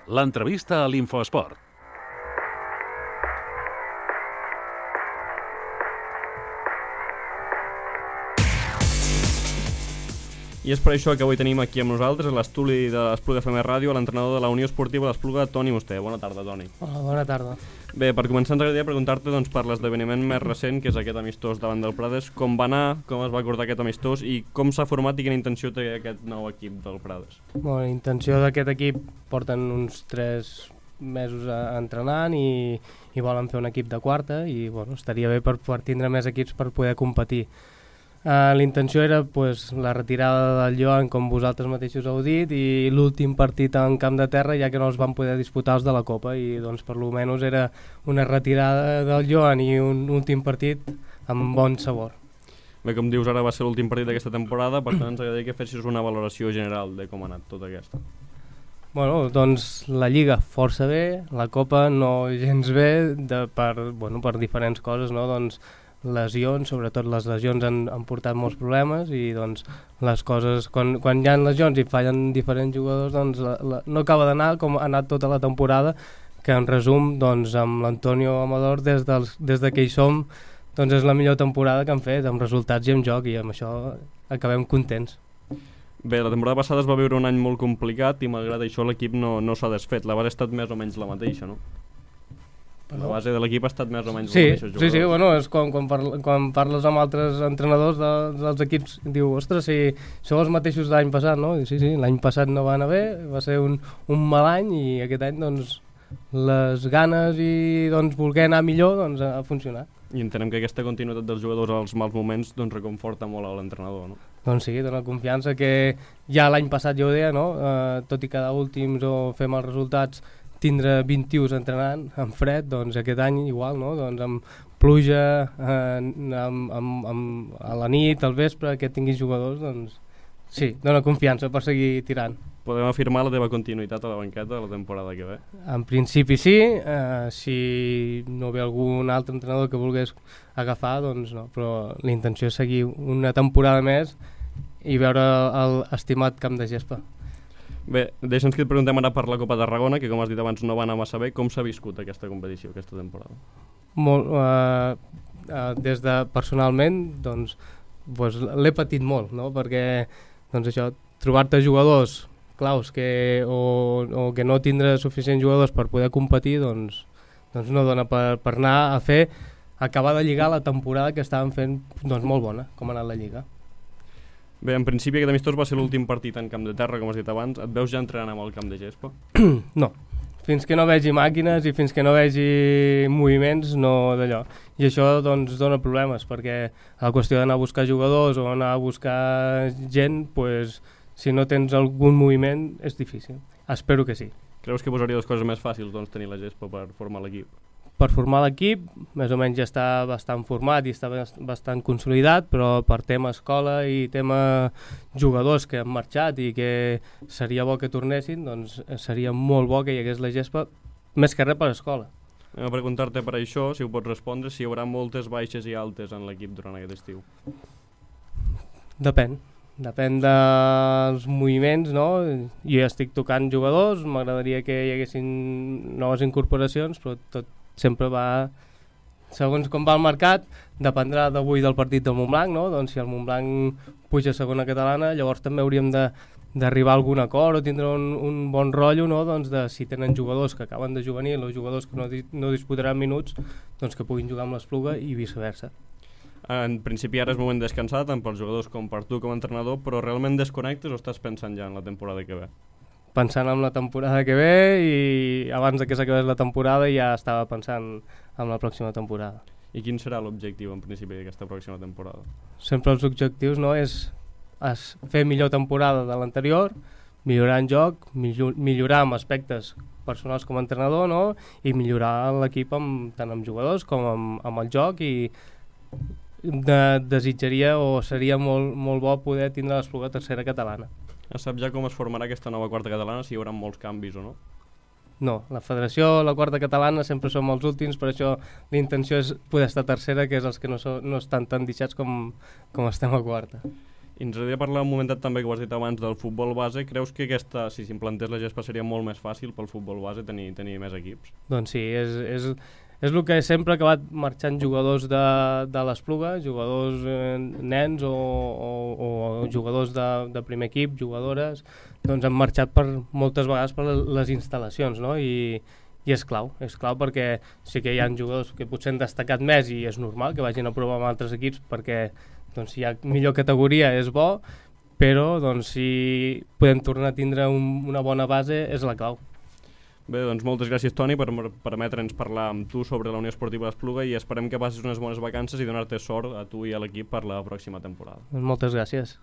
L'entrevista a l'Infoesport. I és per això que avui tenim aquí amb nosaltres, a l'estudi de l'Espluga FM Ràdio, l'entrenador de la Unió Esportiva de l'Espluga, Toni Musté. Bona tarda, Toni. Hola, bona tarda. Bé, per començar ens agradaria preguntar-te per l'esdeveniment més recent, que és aquest amistós davant del Prades. Com va anar, com es va acordar aquest amistós i com s'ha format i quina intenció té aquest nou equip del Prades? La intenció d'aquest equip porten uns 3 mesos entrenant i volen fer un equip de quarta i estaria bé per tindre més equips per poder competir. La intenció era la retirada del Joan, com vosaltres mateixos heu dit, i l'últim partit en camp de terra, ja que no els van poder disputar els de la Copa, i per lo menys era una retirada del Joan i un últim partit amb bon sabor. Bé, com dius, ara va ser l'últim partit d'aquesta temporada, per tant ens agradaria que fessis una valoració general de com ha anat tota aquesta. La Lliga força bé, la Copa no gens bé, per diferents coses, no? Lesions, sobretot les lesions han portat molts problemes i les coses, quan hi ha lesions i fallen diferents jugadors, no acaba d'anar com ha anat tota la temporada, que en resum amb l'Antonio Amador des de que hi som és la millor temporada que han fet, amb resultats i amb joc, i amb això acabem contents. Bé, la temporada passada es va viure un any molt complicat i malgrat això l'equip no s'ha desfet. La base ha estat més o menys la mateixa, no? La base de l'equip ha estat més o menys la mateixa. És quan parles amb altres entrenadors dels equips, diu, ostres, si sou els mateixos de l'any passat, no? Sí, l'any passat no va anar bé, va ser un mal any, i aquest any les ganes i voler anar millor ha funcionat. I entenem que aquesta continuïtat dels jugadors als mals moments reconforta molt a l'entrenador, no? Doncs sí, dona confiança, que ja l'any passat ja ho deia, no? Tot i cada últims o fer mals resultats, tindre 20 tios entrenant amb fred, aquest any igual, no? Amb pluja, a la nit, al vespre, que tinguis jugadors, sí, dona confiança per seguir tirant. Podem afirmar la teva continuïtat a la banqueta de la temporada que ve? En principi sí, si no ve algun altre entrenador que volgués agafar, no, però la intenció és seguir una temporada més i veure l'estimat camp de gespa. Bé, deixa'ns que et preguntem ara per la Copa Tarragona, que com has dit abans no va anar massa bé. Com s'ha viscut aquesta competició, aquesta temporada? Des de personalment, l'he patit molt, no? Perquè això, trobar-te jugadors claus o que no tindre suficients jugadors per poder competir, no dona per anar a acabar de lligar la temporada que estàvem fent molt bona, com ha anat la Lliga. Bé, en principi aquest amistós va ser l'últim partit en camp de terra, com has dit abans. Et veus ja entrenant amb el camp de gespa? No, fins que no vegi màquines i fins que no vegi moviments, no d'allò. I això dona problemes, perquè la qüestió d'anar a buscar jugadors o anar a buscar gent, si no tens algun moviment és difícil. Espero que sí. Creus que posaria les coses més fàcils tenir la gespa per formar l'equip? Per formar l'equip, més o menys ja està bastant format i està bastant consolidat, però per tema escola i tema jugadors que han marxat i que seria bo que tornessin, seria molt bo que hi hagués la gespa, més que res per escola. Anem a preguntar-te per això, si ho pots respondre, si hi haurà moltes baixes i altes en l'equip durant aquest estiu. Depèn dels moviments, no? Jo estic tocant jugadors, m'agradaria que hi haguessin noves incorporacions, però tot sempre va segons com va el mercat, dependrà d'avui del partit del Montblanc, no? Si el Montblanc puja a segona catalana, llavors també hauríem d'arribar a algun acord o tindre un bon rotllo, no? De si tenen jugadors que acaben de juvenil o jugadors que no disputaran minuts, que puguin jugar amb l'Espluga i viceversa. En principi ara és moment de descansar tant pels jugadors com per tu com a entrenador, però realment desconnectes o estàs pensant ja en la temporada que ve? Pensant en la temporada que ve, i abans de que s'acabés la temporada ja estava pensant en la pròxima temporada. I quin serà l'objectiu en principi d'aquesta pròxima temporada? Sempre els objectius, no, és fer millor temporada de l'anterior, millorar en joc, millorar amb aspectes personals com a entrenador, no? I millorar l'equip tant amb jugadors com amb el joc, i desitjaria o seria molt bo poder tindre l'Espluga tercera catalana. Saps ja com es formarà aquesta nova quarta catalana, si hi haurà molts canvis o no? No, la federació, la quarta catalana, sempre som els últims, per això la intenció és poder estar tercera, que és els que no estan tan deixats com estem a quarta. I ens agradaria parlar un momentet també, que ho has dit abans, del futbol base. Creus que aquesta, si s'implantés la gespa, seria molt més fàcil pel futbol base tenir més equips? Doncs sí, és el que sempre ha acabat marxant jugadors de l'Espluga, jugadors nens o jugadors de primer equip, jugadores, doncs han marxat moltes vegades per les instal·lacions, no? I és clau perquè sí que hi ha jugadors que potser han destacat més i és normal que vagin a provar amb altres equips perquè doncs, si hi ha millor categoria és bo, però doncs, si podem tornar a tindre una bona base és la clau. Bé, doncs moltes gràcies, Toni, per permetre'ns parlar amb tu sobre la Unió Esportiva d'Espluga i esperem que passis unes bones vacances i donar-te sort a tu i a l'equip per la pròxima temporada. Moltes gràcies.